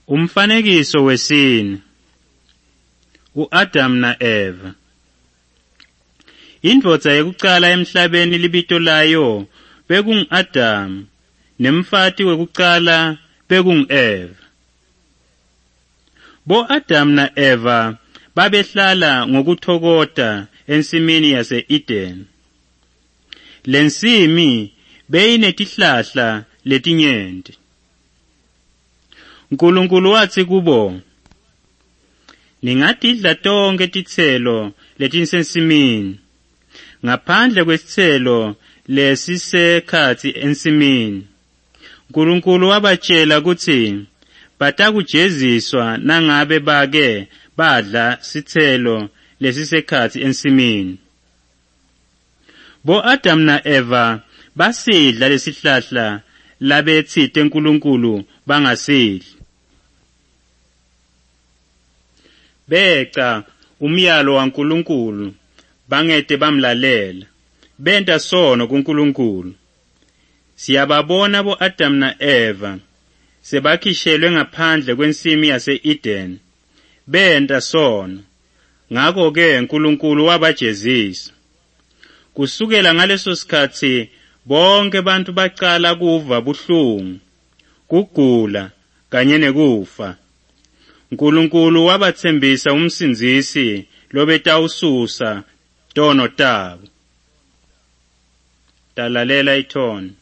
Umfanekiso wesine. U-Adam na Eva. Indvodza yekucala emhlabeni libito layo bekungu-Adam, nemfati wekucala bekungu-Eva. Bo-Adam na Eva babehlala ngokuthokota ensimini yase-Eden. Lensimi beyinetihlahla letinyenti. Nkulunkulu watsi kubo, ningatidla tonke titselo letisensimini, ngaphandle kwesitselo lesisekhatsi ensimini. Nkulunkulu wabatshela kutsi batakujeziswa nangabe bake badla sitselo lesisekhatsi ensimini. Bo-Adam na Eva basidla lesihlahla labetsite Nkulunkulu bangasidli. Beca umyalo waNkulunkulu bangete bamlalela, benta sono kuNkulunkulu. Siyababona bo-Adam na Eva sebakhishelwe ngaphandle kwensimi yase-Eden, benta sono. Ngakho-ke Nkulunkulu wabajezisa. Kusukela ngaleso sikhatsi bonke bantu bacala kuva buhlungu, kugula kanye nekufa. Nkulunkulu wabatsembisa umsindzisi lobetawususa tono tabo. Talalela ithoni.